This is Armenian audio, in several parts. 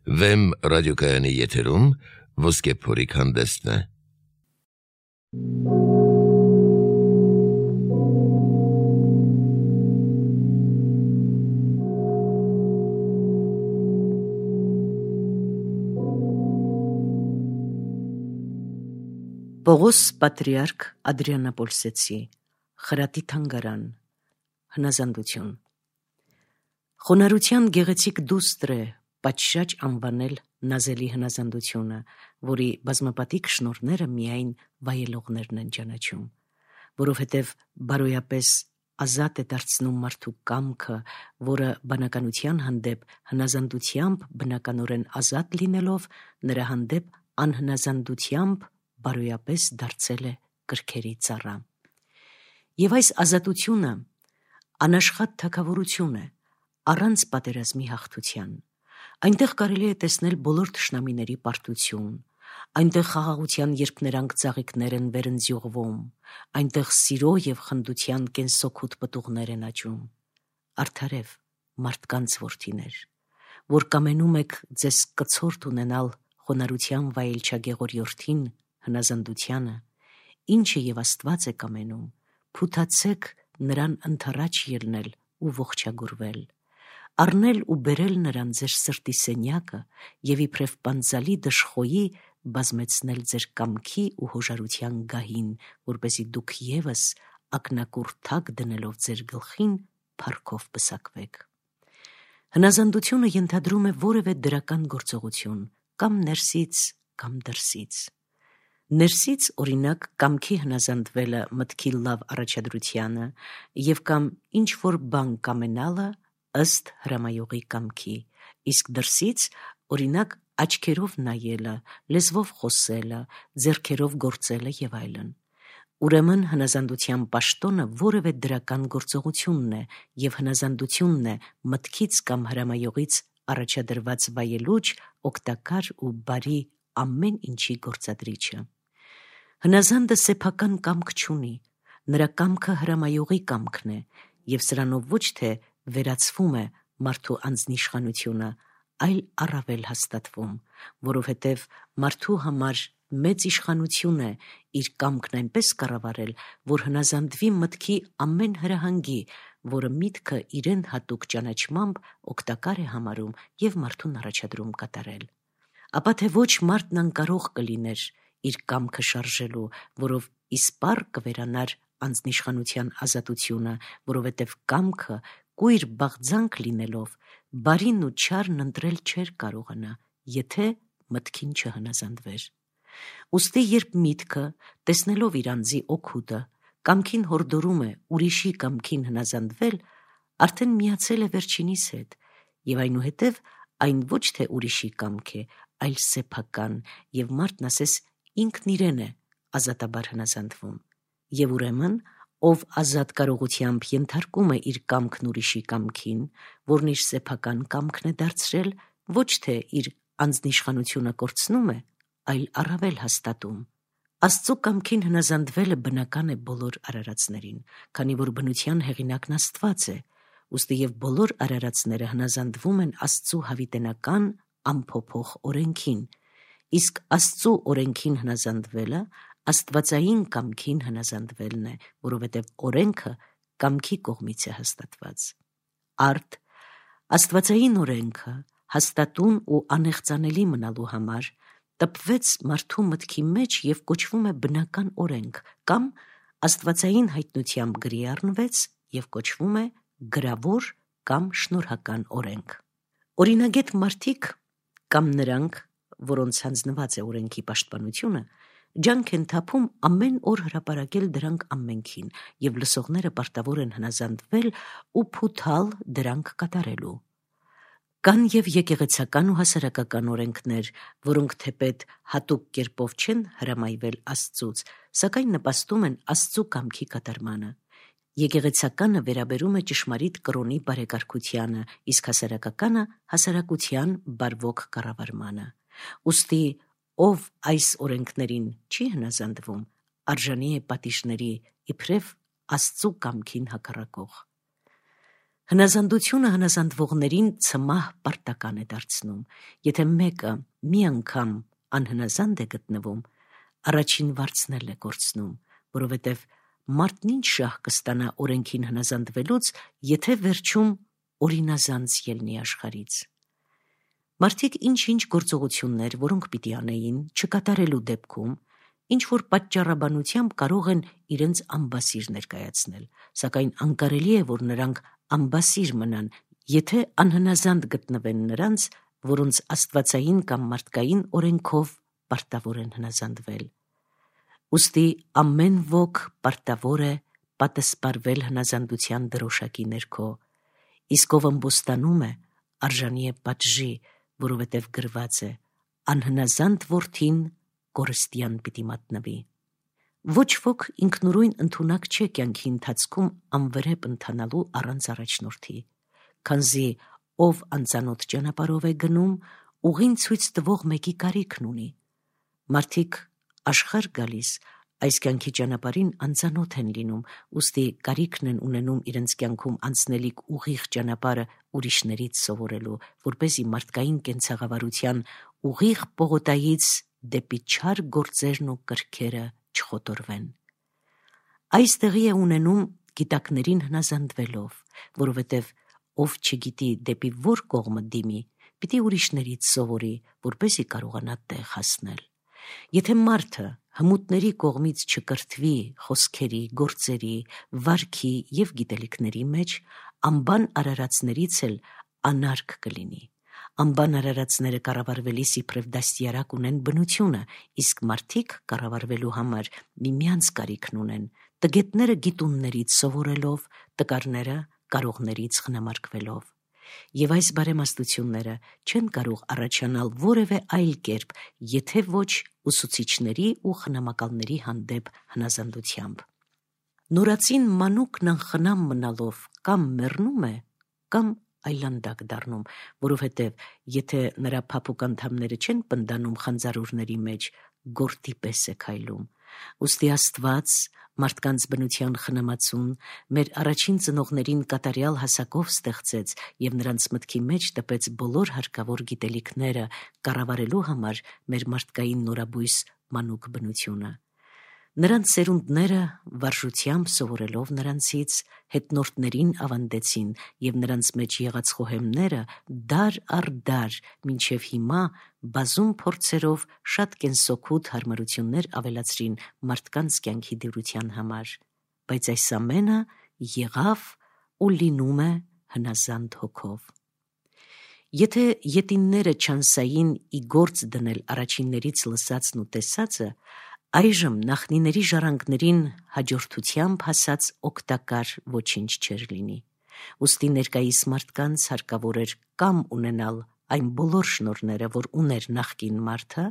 Վեմ ռադիոկայանի եթերում ոսկե փորիկ հանդեսն է։ Պողոս Պատրիարք Ադրիանապոլսեցի, Խրատի թանգարան, հնազանդություն։ Խոնարհության գեղեցիկ դուստր է պատշաճ անվանել նազելի հնազանդությունը, որի բազմապատիկ շնորհները միայն վայելողներն են ճանաչում, որովհետև բարոյապես ազատ է դարձնում մարդու կամքը, որը բանականության հանդեպ հնազանդությամբ բնականորեն ազատ լինելով, նրա հանդեպ անհնազանդությամբ բարոյապես դարձել է կրքերի ծառա։ Եվ այս ազատությունը անաշխատ թագավորություն է, առանց պատերազմի հաղթության։ Այնտեղ կարելի է տեսնել բոլոր թշնամիների պարտություն, այնտեղ խաղաղության երբ նրանք ծաղիկներ են վերընձյուղվում, այնտեղ սիրո և խնդության կենսօգուտ պտուղներ են աճում։ Արդարև, մարդկանց որդիներ, որ կամենում եք ձեզ կցորդ ունենալ խոնարհության վայելչագեղորյորդին, հնազանդությանը, ինչը և Աստված է կամենում, փութացեք նրան ընդառաջ ելնել ու ողջագուրվել, առնել ու բերել նրան ձեր սրտի սենյակը և իբրև պանձալի դժխոյի բազմեցնել ձեր կամքի ու հոժարության գահին, որպեսզի դուք ևս ակնակուռ թակ դնելով ձեր գլխին փառքով պսակվեք։ Հնազանդությունը ենթադրում է որևէ դրական գործողություն, կամ ներսից, կամ դրսից։ Ներսից, օրինակ, կամքի հնազանդվելը մտքի լավ առաջադրությանը և կամ ինչ-որ բան կամենալը ըստ հրամայողի կամքի, իսկ դրսից, օրինակ, աչքերով նայելը, լեզվով խոսելը, ձեռքերով գործելը և այլն։ Ուրեմն հնազանդության պաշտոնը որևէ դրական գործողությունն է և հնազանդությունն է մտքից կամ հրամայողից առաջադրված վայելուչ, օգտակար ու բարի ամեն ինչի գործադրիչը։ Հնազանդը սեփական կամք չունի, նրա կամքը հրամայողի կամքն է, և սրանով ոչ թե վերացվում է մարդու անձնիշխանությունը, այլ առավել հաստատվում, որովհետև մարդու համար մեծ իշխանություն է իր կամքն այնպես կառավարել, որ հնազանդվի մտքի ամեն հրահանգի, որը միտքը իրեն հատուկ ճանաչմամբ օգտակար է համարում և մարդուն առաջադրում կատարել։ Ապա թե ոչ մարդն անկարող կլիներ իր կամքը շարժելու, որով իսպառ կվերանար անձնիշխանության ազատությունը, որովհետև կամքը կույր բաղձանք լինելով, բարին ու չարն ընտրել չէր կարողանա, եթե մտքին չհնազանդվեր։ Ուստի երբ միտքը, տեսնելով իր անձի օգուտը, կամքին հորդորում է ուրիշի կամքին հնազանդվել, արդեն միացել է վերջինիս հետ, և այնուհետև այն ոչ թե ուրիշի կամք է, այլ սեփական, և մարդն ասես ինքն իրեն է ազատաբար հնազանդվում։ Եվ ուրեմն, ով ազատ կարողությամբ ենթարկում է իր կամքն ուրիշի կամքին, որն իր սեփական կամքն է դարձրել, ոչ թե իր անձնիշխանությունը կորցնում է, այլ առավել հաստատում։ Աստծու կամքին հնազանդվելը բնական է բոլոր արարածներին, քանի որ բնության հեղինակն Աստված է, ուստի և բոլոր արարածները հնազանդվում են Աստծու հավիտենական անփոփոխ օրենքին, իսկ Աստծու օրենքին հնազանդվելը աստվածային կամքին հնազանդվելն է, որովհետև օրենքը կամքի կողմից է հաստատված։ Արդ, աստվածային օրենքը հաստատուն ու անեղծանելի մնալու համար տպվեց մարդու մտքի մեջ և կոչվում է բնական օրենք, կամ աստվածային հայտնությամբ գրի առնվեց և կոչվում է գրավոր կամ շնորհական օրենք։ Օրինագետ մարդիկ կամ նրանք, որոնց հանձնված է օրենքի պաշտպանությունը, ջանք են թափում ամեն օր հրապարակել դրանք ամենքին, և լսողները պարտավոր են հնազանդվել ու փութալ դրանք կատարելու։ Կան և եկեղեցական ու հասարակական օրենքներ, որոնք թեպետ հատուկ կերպով չեն հրամայվել Աստծուց, սակայն նպաստում են Աստծու կամքի կատարմանը։ Եկեղեցականը վերաբերում է ճշմարիտ կրոնի բարեկարգությանը, իսկ հասարակականը հասարակության բարվոք կառավարմանը։ Ուստի ով այս օրենքներին չի հնազանդվում, արժանի է պատիժների, իբրև Աստծու կամքին հակառակող։ Հնազանդությունը հնազանդվողներին ցմահ պարտական է դարձնում։ Եթե մեկը մի անգամ անհնազանդ է գտնվում, առաջին վարձնել է կորցնում, որովհետև մարդն ինչ շահ կստանա օրենքին հնազանդվելուց, եթե վերջում օրինազանց ելնի աշխարից։ Մարդիկ ինչ-ինչ գործողություններ, որոնք պիտի անեին, չկատարելու դեպքում, ինչ-որ պատճառաբանությամբ կարող են իրենց ամբասիր ներկայացնել, սակայն անկարելի է, որ նրանք ամբասիր մնան, եթե անհնազանդ գտնվեն նրանց, որոնց աստվածային կամ մարդկային օրենքով պարտավոր են հնազանդվել։ Ուստի ամեն ոք պարտավոր է պատասպարվել հնազանդության դրոշակի ներքո, իսկ ով ըմբոստանում է, արժանի է պատժի, որովհետև գրված է. անհնազանդ որդին կորստյան պիտի մատնվի։ Ոչ ոք ինքնուրույն ընդունակ չէ կյանքի ընթացքում անվրեպ ընթանալու առանց առաջնորդի, քանզի ով անծանոթ ճանապարհով է գնում, ուղին ցույց տվող մեկի կարիքն ունի։ Մարդիկ աշխարհ գալիս այս կյանքի ճանապարհին անծանոթ են լինում, ուստի կարիքն են ունենում իրենց կյանքում անցնելիք ուղիղ ճանապարհը ուրիշներից սովորելու, որպեսզի մարդկային կենցաղավարության ուղիղ պողոտայից դեպի չար գործերն ու կրքերը չխոտորվեն։ Այս տեղի է ունենում գիտակներին հնազանդվելով, որովհետև ով չգիտի դեպի որ կողմը դիմի, պիտի ուրիշներից սովորի, որպեսզի կարողանա տեղ հասնել։ Եթե մարդը հմուտների կողմից չկրթվի խոսքերի, գործերի, վարքի և գիտելիքների մեջ, անբան արարածներից էլ անարգ կլինի։ Անբան արարածները կառավարվելիս իբրև դաստիարակ ունեն բնությունը, իսկ մարդիկ կառավարվելու համար միմյանց կարիքն ունեն, տգետները գիտուններից սովորելով, տկարները կարողներից խնամարկվելով։ Եվ այս բարեմաստությունները չեն կարող առաջանալ որևէ այլ կերպ, եթե ոչ ուսուցիչների ու խնամակալների հանդեպ հնազանդությամբ։ Նորածին մանուկն անխնամ մնալով կամ մեռնում է, կամ այլանդակ դառնում, որովհետև եթե նրա փափուկ անդամները չեն պնդանում խանձարուրների մեջ, գորտի պես է քայլում։ Ուստի Աստված մարդկանց բնության խնամացուն մեր առաջին ծնողներին կատարյալ հասակով ստեղծեց և նրանց մտքի մեջ տպեց բոլոր հարկավոր գիտելիքները կառավարելու համար մեր մարդկային նորաբույս մանուկ բնությունը։ Նրանց սերունդները վարժությամբ սովորելով նրանցից հետնորդներին ավանդեցին և նրանց մեջ եղած խոհեմները դար առ դար մինչև հիմա բազում փորձերով շատ կենսօգուտ հարմարություններ ավելացրին մարդկանց կյանքի դյուրության համար, բայց այս ամենը եղավ ու լինում է հնազանդ հոգով։ Եթե ետինները չանսային ի գործ դնել առաջիններից լսածն ու տեսածը, այժմ նախնիների ժառանգներին հաջորդությամբ հասած օգտակար ոչինչ չէր լինի։ Ուստի ներկայիս մարդկանց հարկավոր էր կամ ունենալ այն բոլոր շնորհները, որ ուներ նախկին մարդը,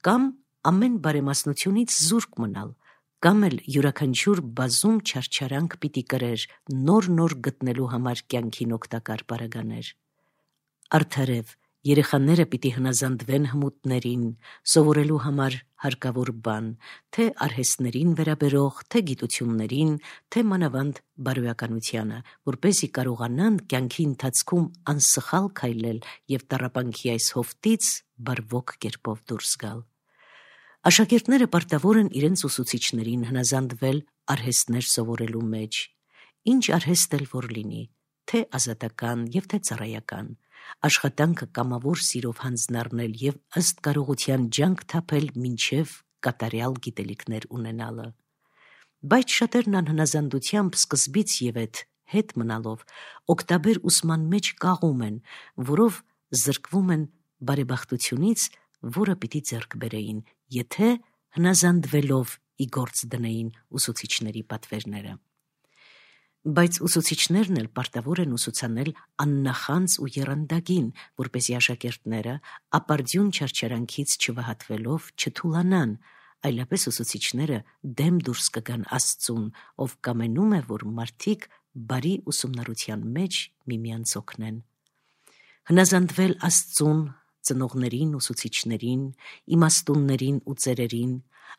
կամ ամեն բարեմասնությունից զուրկ մնալ, կամ էլ յուրաքանչյուր բազում չարչարանք պիտի կրեր նոր գտնելու համար կյանքին օգտակար պարագաներ։ Արդարև երեխաները պիտի հնազանդվեն հմուտներին, սովորելու համար հարկավոր բան, թե արհեստներին վերաբերող, թե գիտություններին, թե մանավանդ բարոյականությանը, որպեսզի կարողանան կյանքի ընթացքում անսխալ քայլել և տառապանքի այս հովտից բարվոք կերպով դուրս գալ։ Աշակերտները պարտավոր են իրենց ուսուցիչներին հնազանդվել արհեստներ սովորելու մեջ, ինչ արհեստ էլ որ լինի, թե ազատական և թե ծառայական, աշխատանքը կամավոր սիրով հանձնառնել և ըստ կարողության ջանք թափել մինչև կատարյալ գիտելիքներ ունենալը։ Բայց շատերն անհնազանդությամբ սկզբից ևեթ հետ մնալով օգտաբեր ուսման մեջ կաղում են, որով զրկվում են բարեբախտությունից, որը պիտի ձեռք բերեին, եթե հնազանդվելով ի գործ դնեին ուսուցիչների պատվերները։ Բայց ուսուցիչներն էլ պարտավոր են ուսուցանել աննախանձ ու եռանդագին, որպեսզի աշակերտները ապարդյուն չարչարանքից չվհատվելով չթուլանան, այլապես ուսուցիչները դեմ դուրս կգան Աստծուն, ով կամենում է, որ մարդիկ բարի ուսումնառության մեջ միմյանց օգնեն։ Հնազանդվել Աստծուն, ծնողներին, ուսուցիչներին, իմաստուններին ու ծերերին,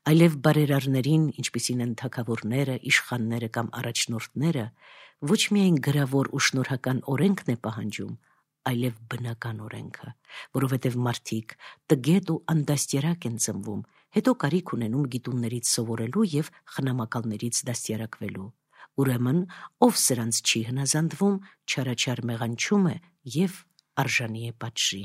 այլև բարերարներին, ինչպիսին են թագավորները, իշխանները կամ առաջնորդները, ոչ միայն գրավոր ու շնորհական օրենքն է պահանջում, այլև բնական օրենքը, որովհետև մարդիկ տգետ ու անդաստիարակ են ծնվում, հետո կարիք ունենում գիտուններից սովորելու և խնամակալներից դաստիարակվելու։ Ուրեմն, ով սրանց չի հնազանդվում, չարաչար մեղանչում է և արժանի է պատժի։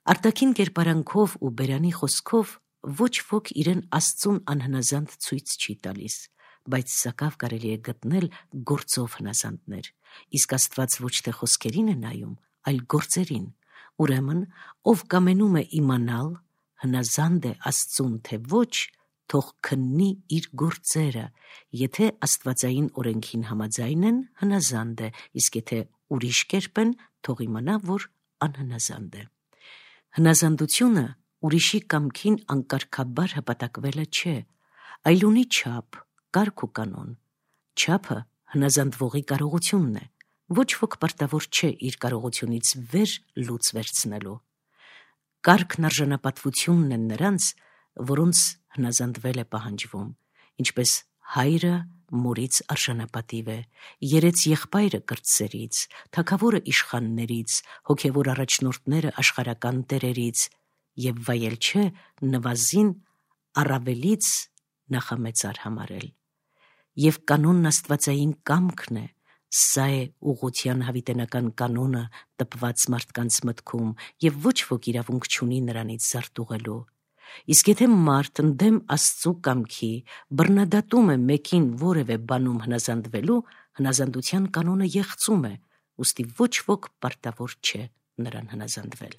Արտաքին կերպարանքով ու բերանի խոսքով ոչ ոք իրեն Աստծուն անհնազանդ ցույց չի տալիս, բայց սակավ կարելի է գտնել գործով հնազանդներ, իսկ Աստված ոչ թե խոսքերին է նայում, այլ գործերին։ Ուրեմն, ով կամենում է իմանալ, հնազանդ է Աստծուն, թե ոչ, թող քննի իր գործերը, եթե աստվածային օրենքին համաձայն են, հնազանդ է, իսկ եթե ուրիշ կերպ են, թող իմանա, որ անհնազանդ է։ Հնազանդությունը ուրիշի կամքին անկարգաբար հպատակվելը չէ, այլ ունի չափ, կարգ ու կանոն։ Չափը հնազանդվողի կարողությունն է, ոչ ոք պարտավոր չէ իր կարողությունից վեր լուծ վերցնելու։ Կարգն արժանապատվությունն են նրանց, որոնց հնազանդվել է պահանջվում, ինչպես հայրը մորից արժանապատիվ է, երեց եղբայրը կրտսերից, թագավորը իշխաններից, հոգևոր առաջնորդները աշխարհական տերերից, և վայել չէ նվազին առավելից նախամեծար համարել։ Եվ կանոնն աստվածային կամքն է, սա է ուղղության հավիտենական կանոնը տպված մարդկանց մտքում, և ոչ ոք իրավունք չունի նրանից զարտուղելու։ Իսկ եթե մարդ ընդդեմ Աստծու կամքի բռնադատում է մեկին որևէ բանում հնազանդվելու, հնազանդության կանոնը եղծում է, ուստի ոչ ոք պարտավոր չէ նրան հնազանդվել։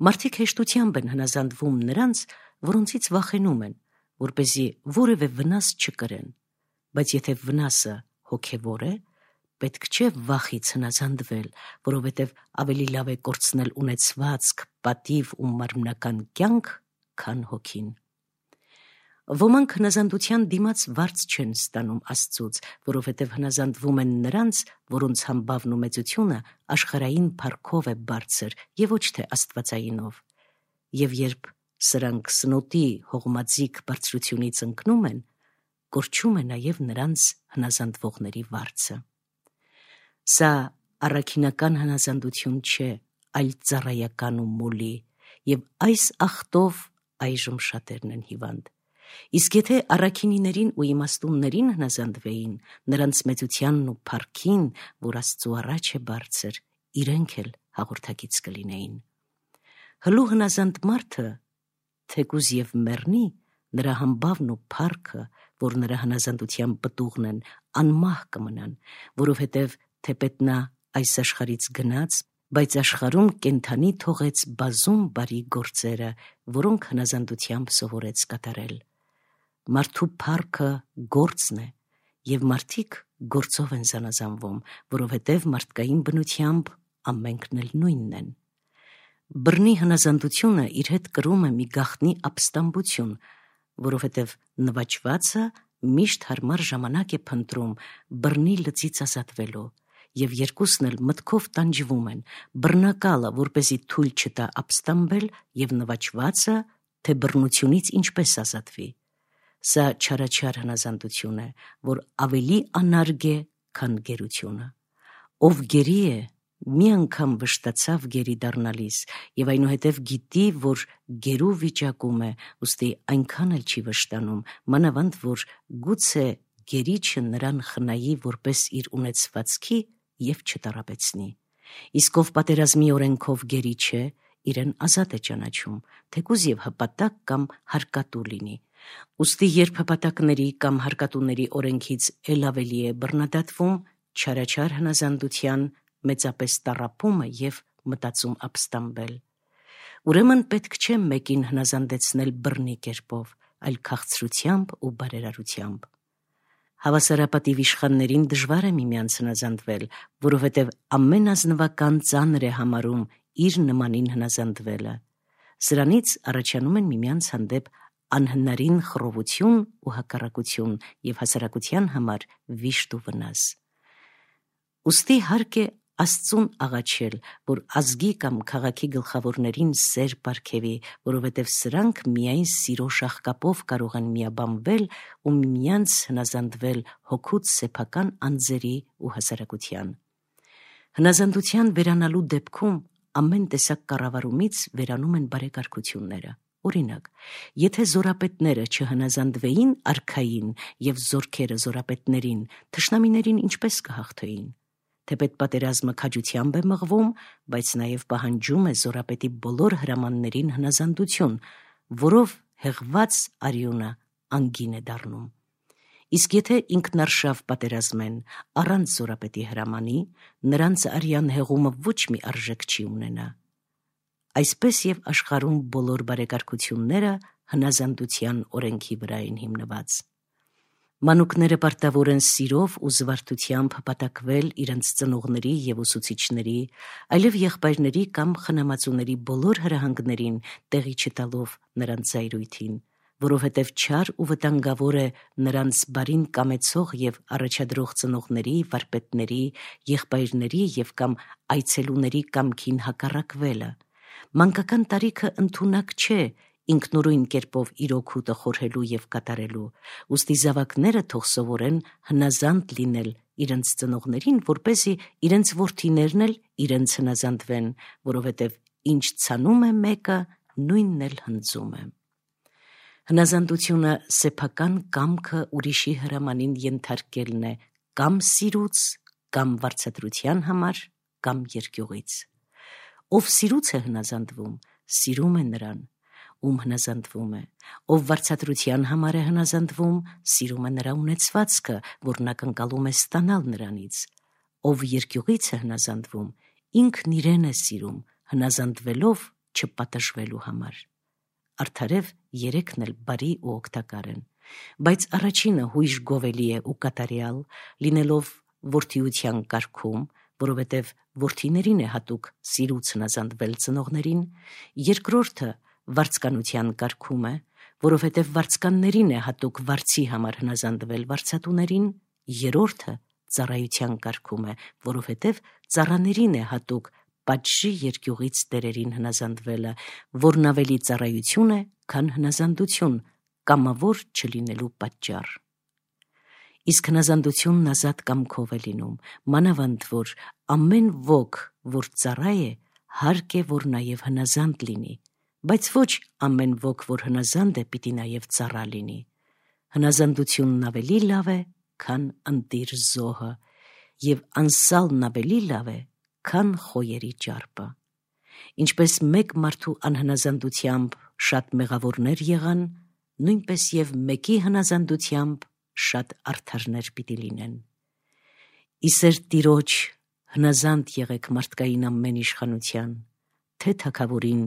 Մարդիկ հեշտությամբ են հնազանդվում նրանց, որոնցից վախենում են, որպեսզի որևէ վնաս չկրեն, բայց եթե վնասը հոգևոր է, պետք չէ վախից հնազանդվել, որովհետև ավելի լավ է կորցնել ունեցվածք, պատիվ ու մարմնական կյանք, քան հոգին։ Ոմանք հնազանդության դիմաց վարձ չեն ստանում Աստծուց, որովհետև հնազանդվում են նրանց, որոնց համբավն ու մեծությունը աշխարհային փառքով է բարձր և ոչ թե աստվածայինով։ Եվ երբ սրանք սնոտի հողմաձիգ բարձրությունից ընկնում են, կորչում է նաև նրանց հնազանդվողների վարձը։ Սա առաքինական հնազանդություն չէ, այլ ծառայական ու մոլի, և այս ախտով այժմ շատերն են հիվանդ։ Իսկ եթե առաքինիներին ու իմաստուններին հնազանդվեին, նրանց մեծությանն ու փառքին, որ Աստծու առաջ է բարձր, իրենք էլ հաղորդակից կլինեին։ Հլու հնազանդ մարդը, թեկուզ և մեռնի, նրա համբավն ու փառքը, որ նրա հնազանդության պտուղն են, անմահ կմնան, որովհետև թեպետ նա այս աշխարհից գնաց, բայց աշխարհում կենդանի թողեց բազում բարի գործերը, որոնք հնազանդությամբ սովորեց կատարել։ Մարդու փառքը գործն է, և մարդիկ գործով են զանազանվում, որովհետև մարդկային բնությամբ ամենքն էլ նույնն են։ Բռնի հնազանդությունը իր հետ կրում է մի գաղտնի ապստամբություն, որովհետև նվաճվածը միշտ հարմար ժամանակ է փնտրում բռնի լծից ազատվելու, և երկուսն էլ մտքով տանջվում են, բռնակալը, որպեսզի թույլ չտա ապստամբել, և նվաճվածը, թե բռնությունից ինչպես ազատվի։ Սա չարաչար հնազանդություն է, որ ավելի անարգ է, քան գերությունը։ Ով գերի է, մի անգամ վշտացավ գերի դառնալիս, և այնուհետև գիտի, որ գերու վիճակում է, ուստի այնքան էլ չի վշտանում, մանավանդ որ գուցե գերիչը նրան խնայի որպես իր ունեցվածքի և չտառապեցնի։ Իսկ ով պատերազմի օրենքով գերի չէ, իրեն ազատ է ճանաչում, թեկուզ և հպատակ կամ հարկատու լինի։ Ուստի երբ հպատակների կամ հարկատուների օրենքից էլ ավելի է բռնադատվում, չարաչար հնազանդության մեծապես տառապում է և մտածում ապստամբել։ Ուրեմն պետք չէ մեկին հնազանդեցնել բռնի կերպով, այլ քաղցրությամբ ու բարերարությամբ։ Հավասարապատիվ իշխաններին դժվար է միմյանց հնազանդվել, որովհետև ամեն ազնվական ծանր է համարում իր նմանին հնազանդվելը։ Սրանից առաջանում են միմյանց հանդեպ անհնարին խռովություն ու հակառակություն և հասարակության համար վիշտ ու վնաս։ Ուստի հարկ է Աստծուն աղաչել, որ ազգի կամ քաղաքի գլխավորներին սեր պարգևի, որովհետև սրանք միայն սիրո շաղկապով կարող են միաբանվել ու միմյանց հնազանդվել հոգուց սեփական անձերի ու հասարակության։ Հնազանդության վերանալու դեպքում ամեն տեսակ կառավարումից վերանում են բարեկարգությունները։ Օրինակ, եթե զորապետները չհնազանդվեին արքային և զորքերը զորապետներին, թշնամիներին ինչպես կհաղթեին։ Թեպետ պատերազմը քաջությամբ է մղվում, բայց նաև պահանջում է զորապետի բոլոր հրամաններին հնազանդություն, որով հեղված արյունը անգին է դառնում։ Իսկ եթե ինքնարշավ պատերազմեն առանց զորապետի հրամանի, նրանց արյան հեղումը ոչ մի արժեք չի ունենա։ Այսպես և աշխարհում բոլոր բարեկարգությունները հնազանդության օրենքի վրա են հիմնված։ Մանուկները պարտավոր են սիրով ու զվարթությամբ հպատակվել իրենց ծնողների և ուսուցիչների, այլև եղբայրների կամ խնամածուների բոլոր հրահանգներին տեղի չտալով նրանց զայրույթին, որովհետև չար ու վտանգավոր է նրանց բարին կամեցող և առաջադրող ծնողների, վարպետների, եղբայրների և կամ այցելուների կամքին հակառակվելը։ Մանկական տարիքը ընդունակ չէ ինքնուրույն կերպով իր օգուտը խորհելու և կատարելու, ուստի զավակները թող սովորեն հնազանդ լինել իրենց ծնողներին, որպեսզի իրենց որդիներն էլ իրենց հնազանդվեն, որովհետև ինչ ցանում է մեկը, նույնն էլ հնձում է։ Հնազանդությունը սեփական կամքը ուրիշի հրամանին ենթարկելն է կամ սիրուց, կամ վարձատրության համար, կամ երկյուղից։ Ով սիրուց է հնազանդվում, սիրում է նրան, ում հնազանդվում է, ով վարձատրության համար է հնազանդվում, սիրում է նրա ունեցվածքը, որն ակնկալում է ստանալ նրանից, ով երկյուղից է հնազանդվում, ինքն իրեն է սիրում, հնազանդվելով չպատժվելու համար։ Արդարև երեքն էլ բարի ու օգտակար են, բայց առաջինը հույժ գովելի է ու կատարյալ, լինելով որդիության կարգում, որովհետև որդիներին է հատուկ սիրուց հնազանդվել ծնողներին, երկրորդը վարձկանության կարգում է, որովհետև վարձկաններին է հատուկ վարձի համար հնազանդվել վարձատուներին, երրորդը ծառայության կարգում է, որովհետև ծառաներին է հատուկ պատժի երկյուղից տերերին հնազանդվելը, որն ավելի ծառայություն է, քան հնազանդություն, կամավոր չլինելու պատճառ։ Իսկ հնազանդությունն ազատ կամքով է լինում, մանավանդ որ ամեն ոք, որ ծառա է, հարկ է, որ նաև հնազանդ լինի, բայց ոչ ամեն ոք, որ հնազանդ է, պիտի նաև ծառա լինի։ Հնազանդությունն ավելի լավ է, քան ընտիր զոհը, և անսալն ավելի լավ է, քան խոյերի ճարպը։ Ինչպես մեկ մարդու անհնազանդությամբ շատ մեղավորներ եղան, նույնպես և մեկի հնազանդությամբ շատ արդարներ պիտի լինեն։ Իսեր Տիրոջ հնազանդ եղեք մարդկային ամեն իշխանության, թե թագավորին,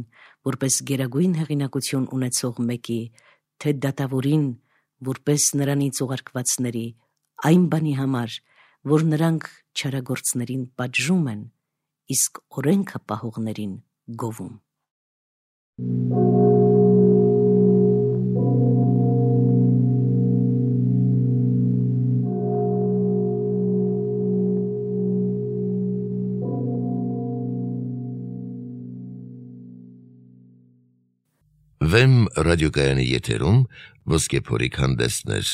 որպես գերագույն հեղինակություն ունեցող մեկի, թե դատավորին, որպես նրանից ուղարկվածների, այն բանի համար, որ նրանք չարագործներին պատժում են, իսկ օրենքը պահողներին գովում։ Վեմ ռադիոկայանի եթերում Ոսկե փորիկ հանդեսներ,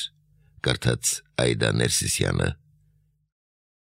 կարդաց Այդա Ներսիսյանը։